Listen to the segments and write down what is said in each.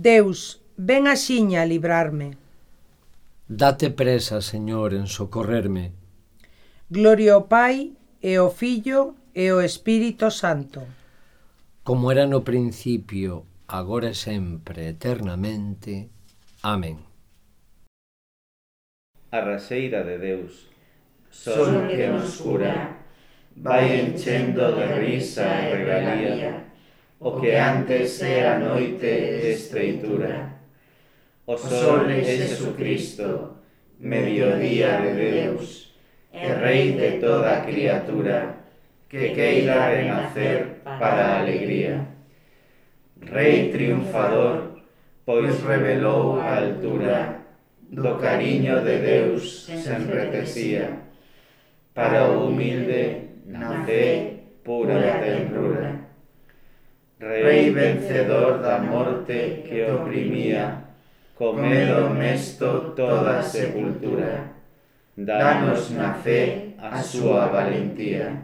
Deus, ven axiña a librarme. Date presa, Señor, en socorrerme. Gloria ao Pai, e ao Filho, e ao Espírito Santo. Como era no principio, agora e sempre, eternamente. Amén. A raseira de Deus, sol que nos cura, vai enchendo de risa e regalía o que antes era noite de estreitura. O sol é Jesucristo, mediodía de Deus, e Rei de toda a criatura, que queira renacer para a alegría. Rei triunfador, pois revelou a altura do cariño de Deus sen retesía, para o humilde na fe pura tenrura. Rei vencedor da morte que oprimía, co medo mesto toda a sepultura, danos na fe a súa valentía.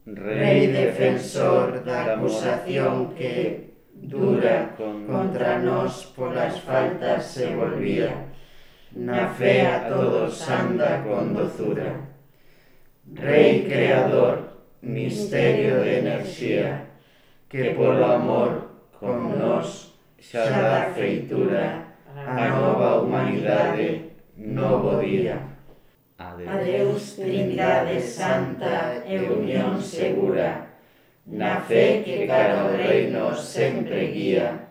Rei defensor da acusación que, dura contra nós polas faltas se volvía, na fe a todos anda con dozura. Rei creador, misterio de enerxía, que polo amor con nós xa dá feitura a nova humanidade, novo día. Adeus, Trindade Santa e unión segura, na fe que cara ao reino sempre guía,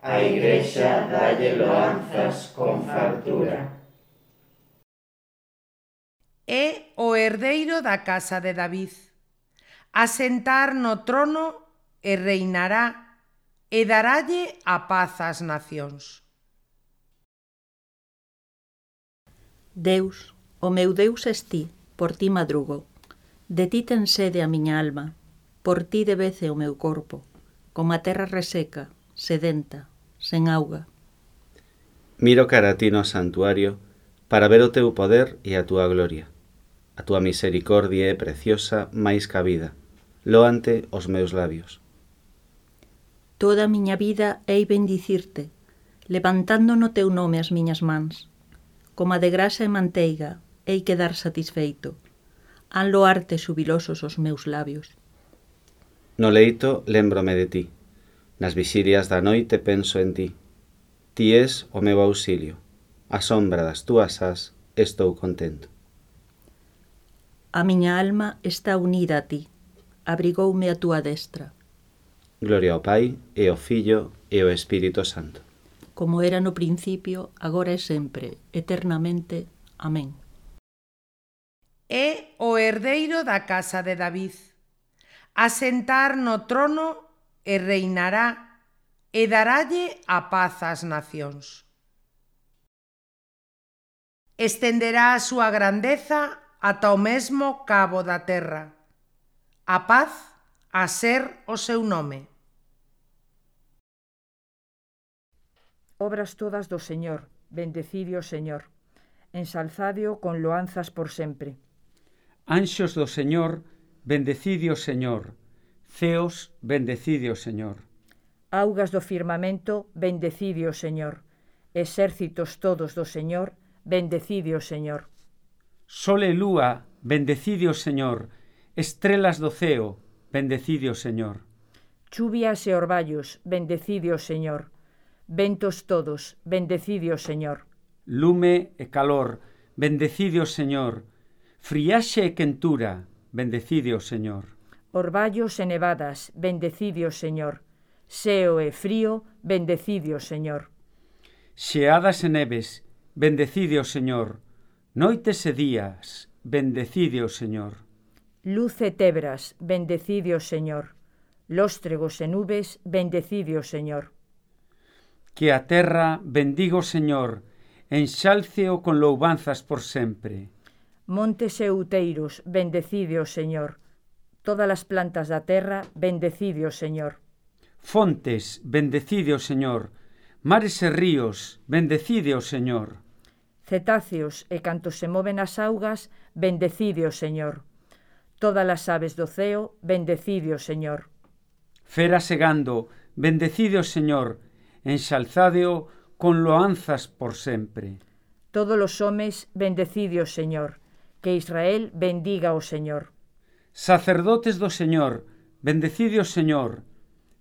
a Igrexa dalle loanzas con fartura. É o herdeiro da casa de David. Asentar no trono e reinará, e daralle a paz ás nacións. Deus, o meu Deus es ti, por ti madrugo. De ti ten sede a miña alma, por ti debece o meu corpo, como a terra reseca, sedenta, sen auga. Miro cara a ti no santuario para ver o teu poder e a túa gloria. A túa misericordia é preciosa máis que a vida, loante os meus labios. Toda a miña vida hei bendicirte, levantando no teu nome as miñas mans. Como a de grasa e manteiga, hei quedar satisfeito. Han loarte xubilosos os meus labios. No leito lémbrome de ti. Nas vixirias da noite penso en ti. Ti és o meu auxilio. A sombra das túas ás estou contento. A miña alma está unida a ti. Abrigoume a túa destra. Gloria ao Pai, e ao Filho, e ao Espírito Santo. Como era no principio, agora e sempre, eternamente. Amén. É o herdeiro da casa de David. Asentar no trono e reinará, e daralle a paz ás nacións. Estenderá a súa grandeza ata o mesmo cabo da terra. A paz a ser o seu nome. Obras todas do Señor, bendecidio o Señor, ensalzadio con loanzas por sempre. Anxos do Señor, bendecidio o Señor, ceos, bendecidio o Señor. Augas do firmamento, bendecidio o Señor, exércitos todos do Señor, bendecidio o Señor. Sol e lúa, bendecidio o Señor, estrelas do ceo, bendecidio o Señor. Chuvias e orballos, bendecidio o Señor. Ventos todos, bendecidio o Señor. Lume e calor, bendecidio o Señor. Friaxe e quentura, bendecidio o Señor. Orballos e nevadas, bendecidio o Señor. Seo e frío, bendecidio o Señor. Xeadas e neves, bendecidio o Señor. Noites e días, bendecidio o Señor. Luz e tebras, bendecidio o Señor. Lóstregos e nubes, bendecidio o Señor. Que a terra bendiga o Señor, enxálceo con louvanzas por sempre. Montes e outeiros, bendecidio o Señor. Todas as plantas da terra, bendecidio o Señor. Fontes, bendecidio o Señor. Mares e ríos, bendecidio o Señor. Cetáceos e cantos se moven as augas, bendecidio o Señor. Todas as aves do ceo, bendecidio o Señor. Feras e gando, bendecide o Señor, enxalzádeo con loanzas por sempre. Todos os homes, bendecide o Señor, que Israel bendiga o Señor. Sacerdotes do Señor, bendecide o Señor,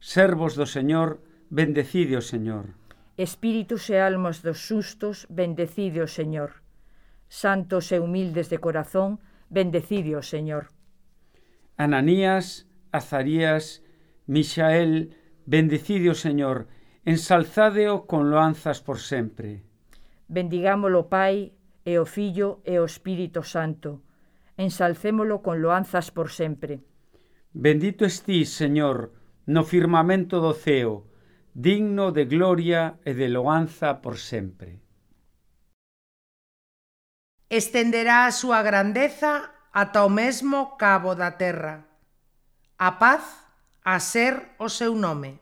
servos do Señor, bendecide o Señor. Espíritus e almas dos xustos, bendecide o Señor. Santos e humildes de corazón, bendecide o Señor. Ananías, Azarías, Mixael, bendecide o Señor, ensalzádeo con loanzas por sempre. Bendigámolo Pai, e o Fillo, e o Espírito Santo. Ensalcémolo con loanzas por sempre. Bendito estís, Señor, no firmamento do ceo, digno de gloria e de loanza por sempre. Estenderá a súa grandeza ata o mesmo cabo da terra. A paz a ser o seu nome.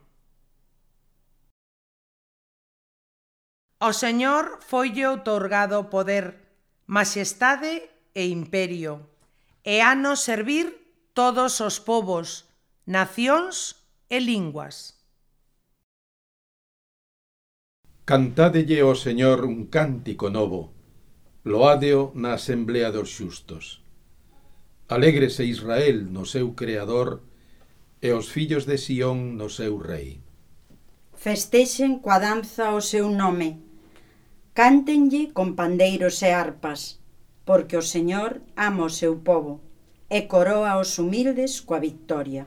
Ao Señor foille outorgado poder, maxestade e imperio, e hanos servir todos os povos, nacións e linguas. Cantádelle ao Señor un cántico novo, loádeo na asemblea dos xustos. Alégrese Israel no seu Creador e os fillos de Sión no seu Rei. Festexen coa danza o seu nome, cántenlle con pandeiros e arpas, porque o Señor ama o seu povo e coroa os humildes coa victoria.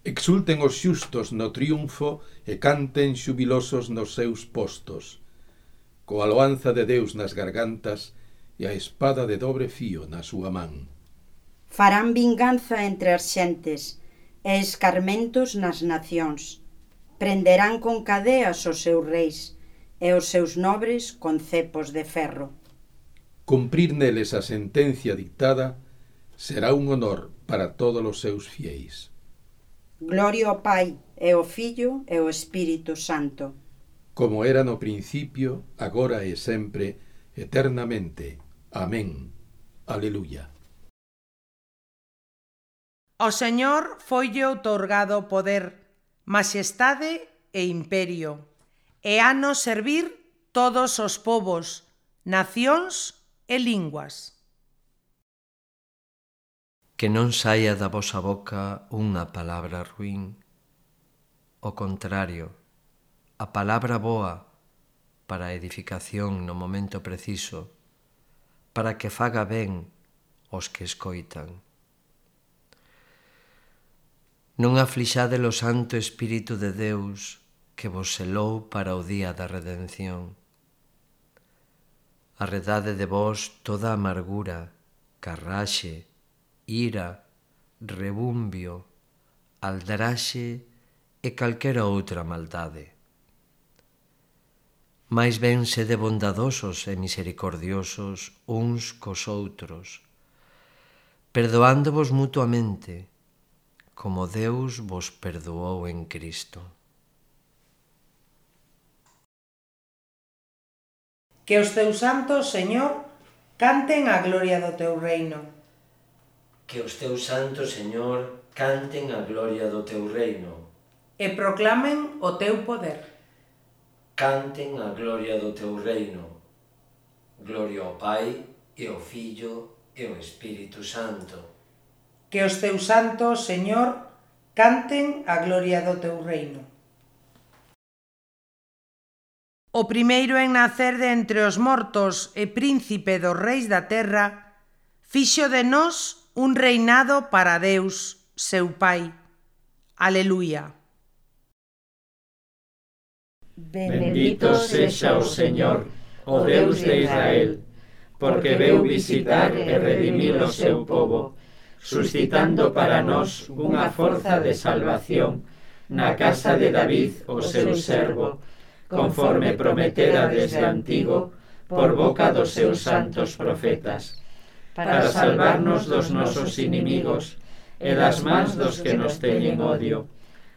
Exulten os xustos no triunfo e canten xubilosos nos seus postos, coa loanza de Deus nas gargantas e a espada de dobre fío na súa man. Farán vinganza entre as xentes e escarmentos nas nacións. Prenderán con cadeas os seus reis e os seus nobres con cepos de ferro. Cumprir neles a sentencia dictada será un honor para todos os seus fieis. Gloria ao Pai, e ao Fillo, e ao Espírito Santo. Como era no principio, agora e sempre, eternamente. Amén. Aleluya. Ao Señor foille outorgado poder, maxestade e imperio, e hanos servir todos os povos, nacións e linguas. Que non saia da vosa boca unha palabra ruín. O contrario, a palabra boa para a edificación no momento preciso, para que faga ben os que escoitan. Non aflixade o Santo Espírito de Deus que vos selou para o día da redención. Arredade de vos toda amargura, carraxe, ira, rebumbio, aldraxe e calquera outra maldade. Mais ben sede bondadosos e misericordiosos uns cos outros, perdoándovos mutuamente, como Deus vos perdoou en Cristo. Que os teus santos, Señor, canten a gloria do teu reino. Que os teus santos, Señor, canten a gloria do teu reino. E proclamen o teu poder. Canten a gloria do teu reino. Gloria ao Pai, e ao Fillo, e ao Espírito Santo. Que os teus santos, Señor, canten a gloria do teu reino. O primeiro en nacer de entre os mortos e príncipe dos reis da terra, fixo de nós un reinado para Deus, seu Pai. Aleluia. Bendito sexa o Señor, o Deus de Israel, porque veu visitar e redimir o seu povo, suscitando para nós unha forza de salvación na casa de David, o seu servo, conforme prometera desde antigo por boca dos seus santos profetas, para salvarnos dos nosos inimigos e das mans dos que nos teñen odio,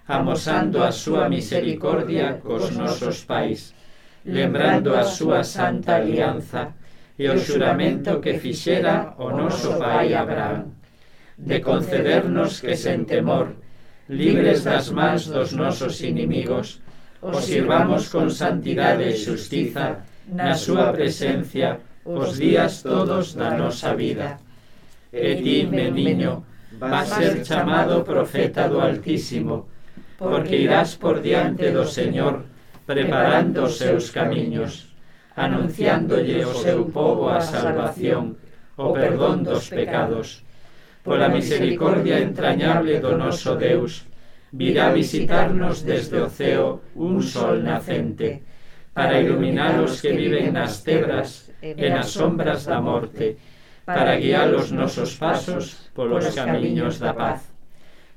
amosando a súa misericordia cos nosos pais, lembrando a súa santa alianza e o xuramento que fixera o noso pai Abraham, de concedernos que sen temor libres das mans dos nosos inimigos, os sirvamos con santidade e xustiza na súa presencia os días todos da nosa vida. E ti, meniño, vas ser chamado profeta do Altísimo, porque irás por diante do Señor, preparando os seus camiños, anunciándolle ao seu povo a salvación, o perdón dos pecados. Pola misericordia entrañable do noso Deus, virá visitarnos desde o ceo un sol nacente, para iluminar os que viven nas tebras e nas sombras da morte, para guiar os nosos pasos polos camiños da paz.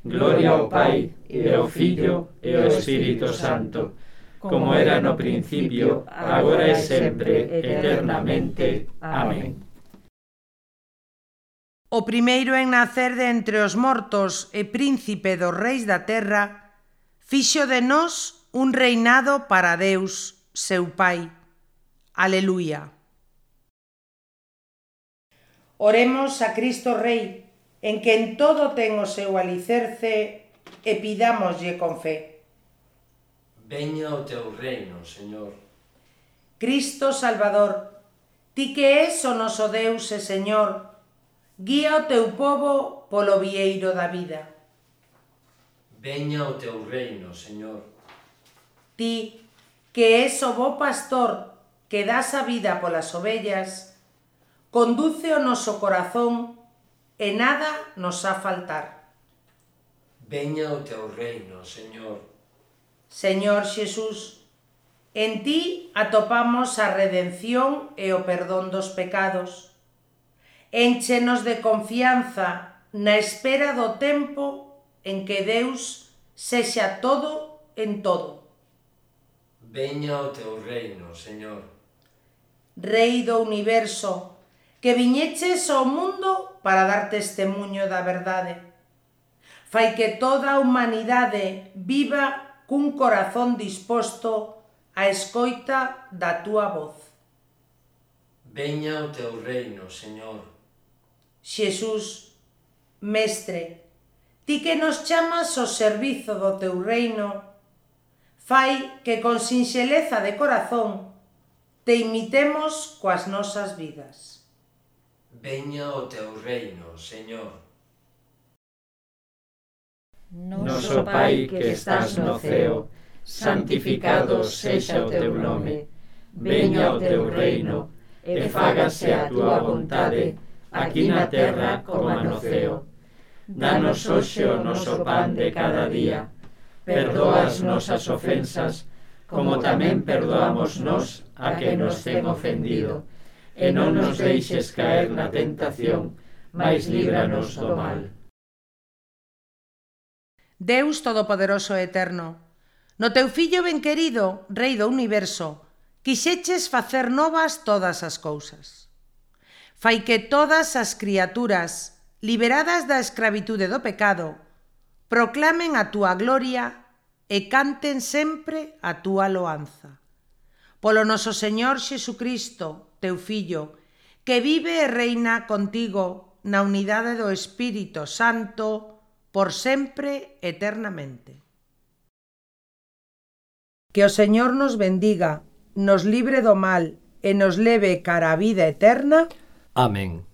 Gloria ao Pai, e ao Filho, e ao Espírito Santo, como era no principio, agora e sempre, eternamente. Amén. O primeiro en nacer de entre os mortos e príncipe dos reis da terra, fixo de nós un reinado para Deus, seu Pai. Aleluia. Oremos a Cristo Rei, en que en todo ten o seu alicerce, e pidámoslle con fe. Veña o teu reino, Señor. Cristo Salvador, ti que és o noso Deus e Señor, guía o teu povo polo vieiro da vida. Veña o teu reino, Señor. Ti, que és o bo pastor que das a vida polas ovellas, conduce o noso corazón e nada nos ha faltar. Veña o teu reino, Señor. Señor Xesús, en ti atopamos a redención e o perdón dos pecados. Énchenos de confianza na espera do tempo en que Deus sexa todo en todo. Veña o teu reino, Señor. Rei do universo, que viñeches ao mundo para dar testemuño da verdade. Fai que toda a humanidade viva cun corazón disposto á escoita da túa voz. Veña o teu reino, Señor. Xesús, Mestre, ti que nos chamas ao servizo do teu reino, fai que con sinxeleza de corazón te imitemos coas nosas vidas. Veña o teu reino, Señor. Noso Pai que estás no ceo, santificado sexa o teu nome. Veña o teu reino, e fágase a túa vontade, aquí na terra como no ceo. Danos hoxe o noso pan de cada día. Perdoa as nosas ofensas, como tamén perdoamos nós a que nos ten ofendido. E non nos deixes caer na tentación, mais líbranos do mal. Deus Todopoderoso e Eterno, no teu Fillo ben querido, Rei do Universo, quixeches facer novas todas as cousas. Fai que todas as criaturas, liberadas da escravitude do pecado, proclamen a túa gloria e canten sempre a túa loanza. Polo noso Señor Xesucristo, teu Fillo, que vive e reina contigo na unidade do Espírito Santo, por sempre, eternamente. Que o Señor nos bendiga, nos libre do mal e nos leve cara a vida eterna. Amén.